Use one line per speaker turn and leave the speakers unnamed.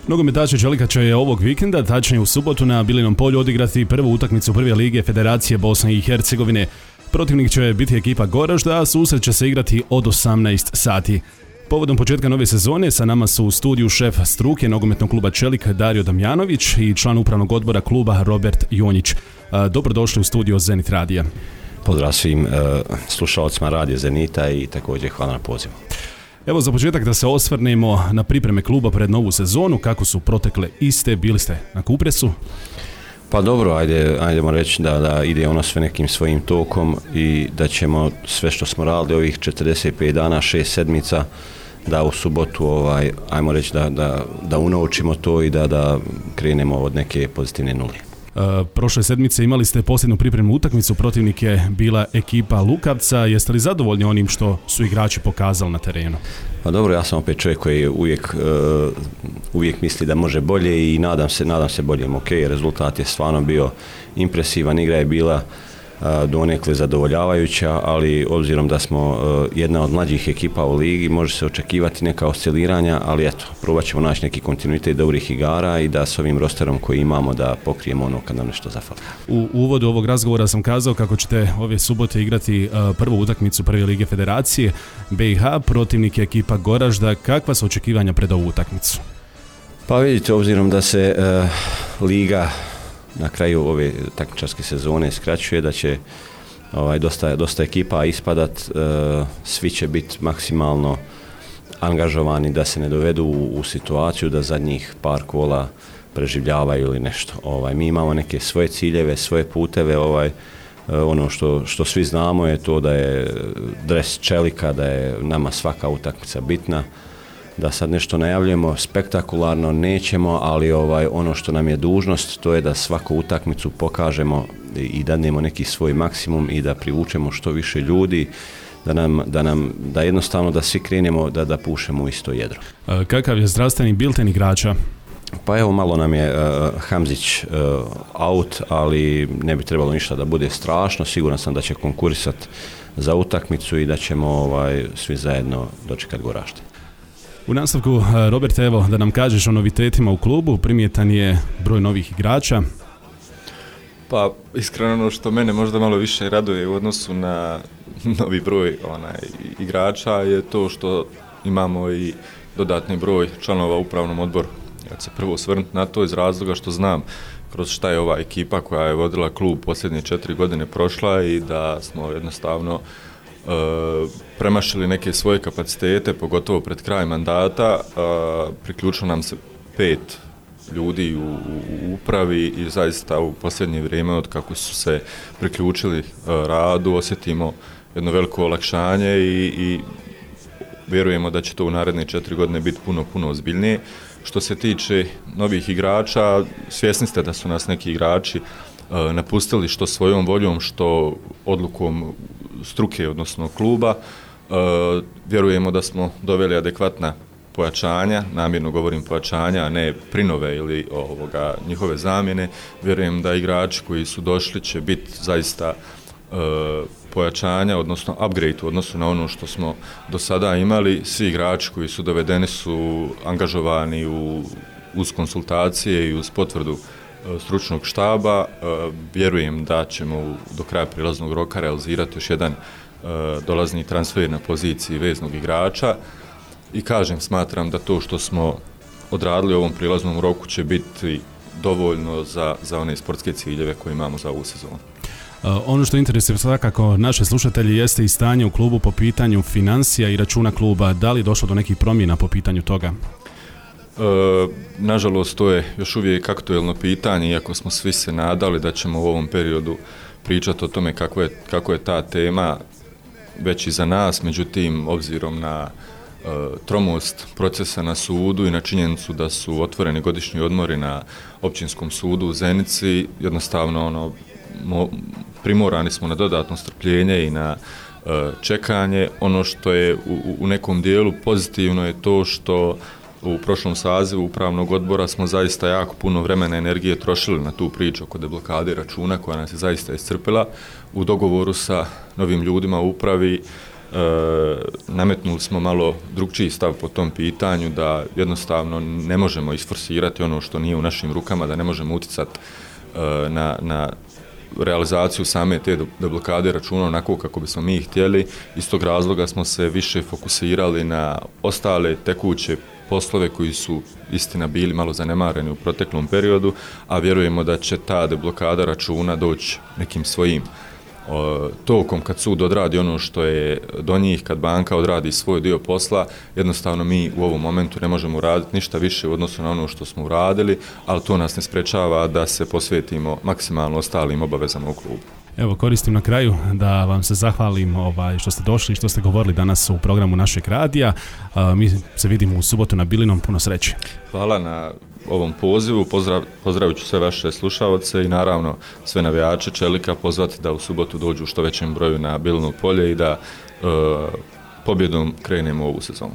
Nogometaši Čelikača je ovog vikenda, tačnije u subotu, na Bilinom polju odigrati prvu utakmicu prve lige Federacije Bosne i Hercegovine. Protivnik će biti ekipa Goražda, a susret će se igrati od 18 sati. Povodom početka nove sezone sa nama su u studiju šef struke nogometnog kluba Čelik Dario Damjanović i član upravnog odbora kluba Robert Jonjić. Dobrodošli u studio Zenit Radija.
Pozdrav svim slušalcima Radija Zenita i također hvala na pozivu.
Evo za početak da se osvrnemo na pripreme kluba pred novu sezonu, kako su protekle iste, bili ste na Kupresu?
Pa dobro, ajdemo reći da ide ono sve nekim svojim tokom i da ćemo sve što smo radili ovih 45 dana, 6 sedmica, da u subotu, ajmo reći da unovčimo to i da krenemo od neke pozitivne nule.
Prošle sedmice imali ste posljednu pripremnu utakmicu, protivnik je bila ekipa Lukavca. Jeste li zadovoljni onim što su igrači pokazali na terenu?
Pa dobro, ja sam opet čovjek koji uvijek misli da može bolje i nadam se boljem. Ok, rezultat je stvarno bio impresivan, igra je bila donekle zadovoljavajuća, ali obzirom da smo jedna od mlađih ekipa u ligi, može se očekivati neka osciliranja, ali eto, probat ćemo naći neki kontinuitet dobrih igara i da s ovim rosterom koji imamo da pokrijemo ono kad nam nešto zafali.
U uvodu ovog razgovora sam kazao kako ćete ove subote igrati prvu utakmicu prve lige Federacije BiH, protivnik je ekipa Goražda. Kakva su očekivanja pred ovu utakmicu?
Pa vidite, obzirom da se liga na kraju ove takmičarske sezone skraćuje, da će dosta ekipa ispadat, svi će biti maksimalno angažovani da se ne dovedu u situaciju da zadnjih par kola preživljavaju ili nešto. Mi imamo neke svoje ciljeve, svoje puteve, ono što svi znamo je to da je dres Čelika, da je nama svaka utakmica bitna. Da sad nešto najavljujemo spektakularno nećemo, ali ono što nam je dužnost to je da svaku utakmicu pokažemo i dadnemo neki svoj maksimum i da privučemo što više ljudi, da jednostavno da svi krenemo da pušemo u isto jedro.
Kakav je zdravstveni bilten igrača?
Pa evo, malo nam je Hamzić out, ali ne bi trebalo ništa da bude strašno. Siguran sam da će konkurisati za utakmicu i da ćemo svi zajedno dočekati Goražde.
U nastavku, Robert, evo da nam kažeš o novitetima u klubu. Primjetan je broj novih igrača.
Pa iskreno ono što mene možda malo više raduje u odnosu na novi broj igrača je to što imamo i dodatni broj članova u upravnom odboru. Ja ću se prvo osvrnuti na to iz razloga što znam kroz šta je ova ekipa koja je vodila klub posljednje 4 godine prošla i da smo jednostavno premašili neke svoje kapacitete, pogotovo pred kraj mandata. Priključilo nam se 5 ljudi u upravi i zaista u posljednje vrijeme od kako su se priključili radu osjetimo jedno veliko olakšanje i vjerujemo da će to u naredne 4 godine biti puno ozbiljnije. Što se tiče novih igrača, svjesni ste da su nas neki igrači napustili što svojom voljom, što odlukom struke, odnosno kluba. Vjerujemo da smo doveli adekvatna pojačanja, namjerno govorim pojačanja, a ne prinove ili njihove zamjene. Vjerujem da igrači koji su došli će biti zaista pojačanja, odnosno upgrade u odnosu na ono što smo do sada imali. Svi igrači koji su dovedeni su angažovani uz konsultacije i uz potvrdu stručnog štaba. Vjerujem da ćemo do kraja prilaznog roka realizirati još jedan dolazni transfer na poziciji veznog igrača i smatram da to što smo odradili u ovom prilaznom roku će biti dovoljno za one sportske ciljeve koje imamo za ovu sezonu.
Ono što interesuje svakako naše slušatelji jeste i stanje u klubu po pitanju financija i računa kluba. Da li je došlo do nekih promjena po pitanju toga?
Nažalost, to je još uvijek aktuelno pitanje, iako smo svi se nadali da ćemo u ovom periodu pričati o tome kako je ta tema već i za nas, međutim, obzirom na tromost procesa na sudu i na činjenicu da su otvoreni godišnji odmori na Općinskom sudu u Zenici, jednostavno primorani smo na dodatno strpljenje i na čekanje. Ono što je u nekom dijelu pozitivno je to što u prošlom sazivu upravnog odbora smo zaista jako puno vremena i energije trošili na tu priču oko deblokade računa koja nas je zaista iscrpila. U dogovoru sa novim ljudima u upravi nametnuli smo malo drugčiji stav po tom pitanju, da jednostavno ne možemo isforsirati ono što nije u našim rukama, da ne možemo utjecati na realizaciju same te deblokade računa onako kako bismo mi htjeli. Iz tog razloga smo se više fokusirali na ostale tekuće poslove koji su istina bili malo zanemareni u proteklom periodu, a vjerujemo da će ta deblokada računa doći nekim svojim tokom kad sud odradi ono što je do njih, kad banka odradi svoj dio posla. Jednostavno mi u ovom momentu ne možemo uraditi ništa više u odnosu na ono što smo uradili, ali to nas ne sprečava da se posvetimo maksimalno ostalim obavezama u klubu.
Evo, koristim na kraju da vam se zahvalim što ste došli i što ste govorili danas u programu našeg radija. Mi se vidimo u subotu na Bilinom, puno sreće.
Hvala na ovom pozivu, pozdravit ću sve vaše slušaoce i naravno sve navijače Čelika pozvati da u subotu dođu u što većem broju na Bilino polje i da pobjedom krenemo ovu sezonu.